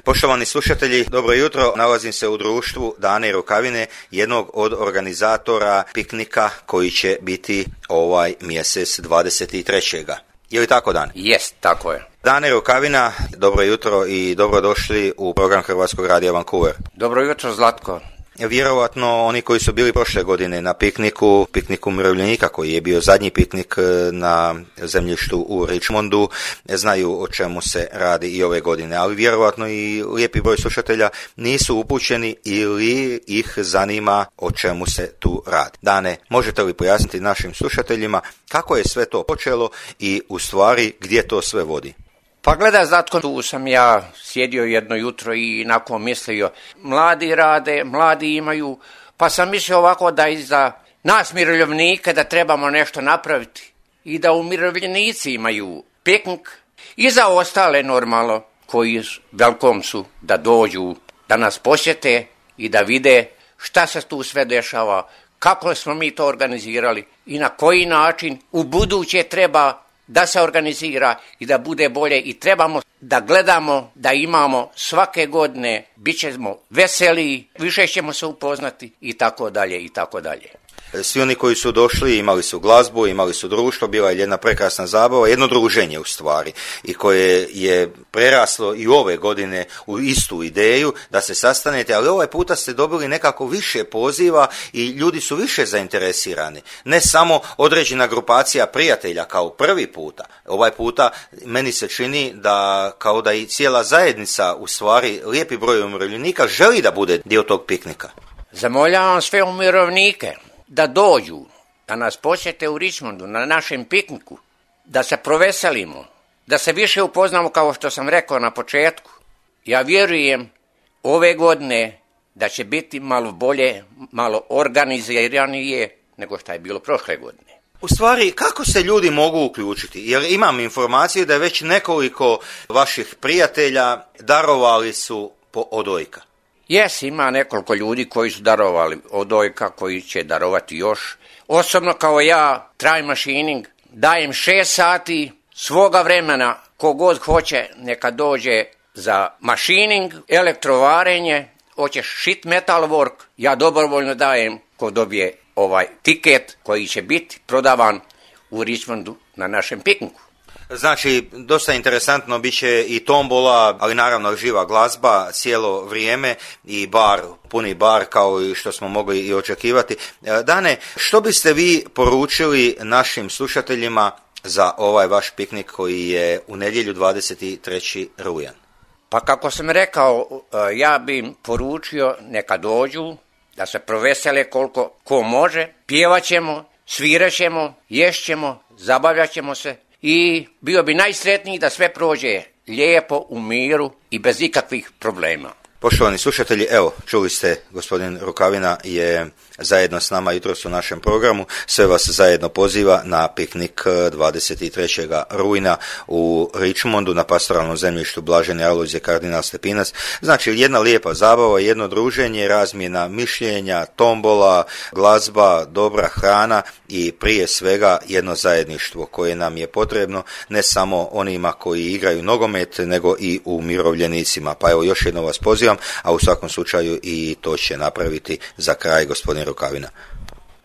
Poštovani slušatelji, dobro jutro. Nalazim se u društvu Dane Rukavine, jednog od organizatora piknika koji će biti ovaj mjesec 23. Je li tako, Dan? Jest, tako je. Dane Rukavina, dobro jutro i dobrodošli u program Hrvatskog radija Vancouver. Dobro jutro, Zlatko. Vjerovatno oni koji su bili prošle godine na pikniku umirovljenika, koji je bio zadnji piknik na zemljištu u Richmondu, znaju o čemu se radi i ove godine, ali vjerovatno i lijepi broj slušatelja nisu upućeni ili ih zanima o čemu se tu radi. Dane, možete li pojasniti našim slušateljima kako je sve to počelo i u stvari gdje to sve vodi? Pa gledaj, Zlatko, tu sam ja sjedio jedno jutro i nakon mislio, mladi rade, mladi imaju, pa sam mislio ovako da i za nas umirovljenike da trebamo nešto napraviti i da umirovljenici imaju piknik i za ostale normalno koji velkom su da dođu, da nas posjete i da vide šta se tu sve dešava, kako smo mi to organizirali i na koji način u buduće treba da se organizira i da bude bolje i trebamo da gledamo, da imamo svake godine, bit ćemo veseliji, više ćemo se upoznati i tako dalje i tako dalje. Svi oni koji su došli imali su glazbu, imali su društvo, bila je jedna prekrasna zabava, jedno druženje u stvari i koje je preraslo i ove godine u istu ideju da se sastanete, ali ovaj puta ste dobili nekako više poziva i ljudi su više zainteresirani. Ne samo određena grupacija prijatelja kao prvi puta, ovaj puta meni se čini da kao da i cijela zajednica, u stvari lijepi broj umirovljenika želi da bude dio tog piknika. Zamoljavam sve umirovljenike da dođu, da nas posjete u Richmondu na našem pikniku, da se proveselimo, da se više upoznamo kao što sam rekao na početku. Ja vjerujem ove godine da će biti malo bolje, malo organiziranije nego što je bilo prošle godine. U stvari, kako se ljudi mogu uključiti? Jer imam informaciju da je već nekoliko vaših prijatelja darovali su po odojka. Ima nekoliko ljudi koji su darovali odojka, koji će darovati još. Osobno kao ja, Try Machining, dajem 6 sati svoga vremena, kogod hoće neka dođe za machining, elektrovarenje, hoćeš sheet metal work, ja dobrovoljno dajem ko dobije ovaj tiket koji će biti prodavan u Richmondu na našem pikniku. Znači, dosta interesantno bit će i tombola, ali naravno živa glazba cijelo vrijeme i bar, puni bar kao i što smo mogli i očekivati. Dane, što biste vi poručili našim slušateljima za ovaj vaš piknik koji je u nedjelju 23. rujan? Pa kako sam rekao, ja bi im poručio neka dođu, da se provesele koliko ko može, pjevat ćemo, svirat ćemo, ješćemo, zabavljat ćemo se. I bio bi najsretniji da sve prođe lijepo, u miru i bez ikakvih problema. Poštovani slušatelji, evo, čuli ste, gospodin Rukavina je zajedno s nama jutros u našem programu. Sve vas zajedno poziva na piknik 23. rujna u Richmondu na pastoralnom zemljištu Blažene Alojzije kardinal Stepinac. Znači, jedna lijepa zabava, jedno druženje, razmjena mišljenja, tombola, glazba, dobra hrana i prije svega jedno zajedništvo koje nam je potrebno, ne samo onima koji igraju nogomet, nego i umirovljenicima. Pa evo, još jedno vas pozivam, a u svakom slučaju i to će napraviti za kraj gospodin Rukavina.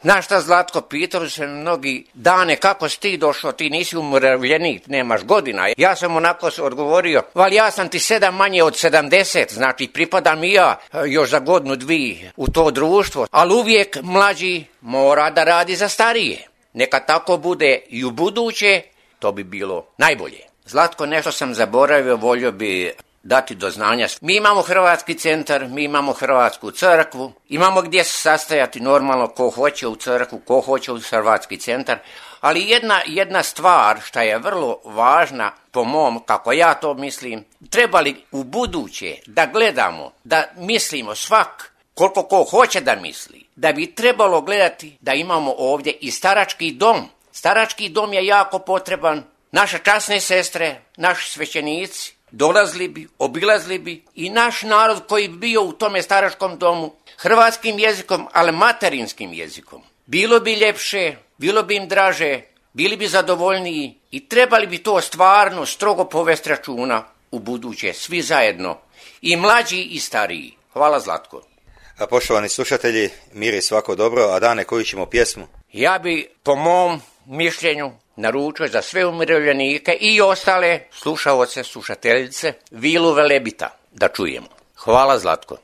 Znaš šta, Zlatko, pitali se mnogi, Dane, kako si ti došao, ti nisi umirovljenik, nemaš godina. Ja sam onako odgovorio, ali ja sam ti 7 manje od 70, znači pripadam i ja još za godinu, dvije u to društvo, ali uvijek mlađi mora da radi za starije. Neka tako bude i u buduće, to bi bilo najbolje. Zlatko, nešto sam zaboravio, volio bi dati do znanja. Mi imamo Hrvatski centar, mi imamo Hrvatsku crkvu, imamo gdje se sastajati normalno ko hoće u crkvu, ko hoće u Hrvatski centar, ali jedna stvar što je vrlo važna po mom, kako ja to mislim, trebali u buduće da gledamo, da mislimo svak koliko ko hoće da misli, da bi trebalo gledati da imamo ovdje i starački dom. Starački dom je jako potreban, naše časne sestre, naši svećenici, dolazili bi, obilazili bi i naš narod koji bi bio u tome staračkom domu hrvatskim jezikom, ali materinskim jezikom. Bilo bi ljepše, bilo bi im draže, bili bi zadovoljniji i trebali bi to stvarno strogo povesti računa u buduće, svi zajedno, i mlađi i stariji. Hvala, Zlatko. A poštovani slušatelji, mir i svako dobro, a Dane, koju ćemo pjesmu? Ja bi, po mom mišljenju, naručio za sve umirovljenike i ostale slušaoce, slušateljice, Vilu Velebita, da čujemo. Hvala, Zlatko.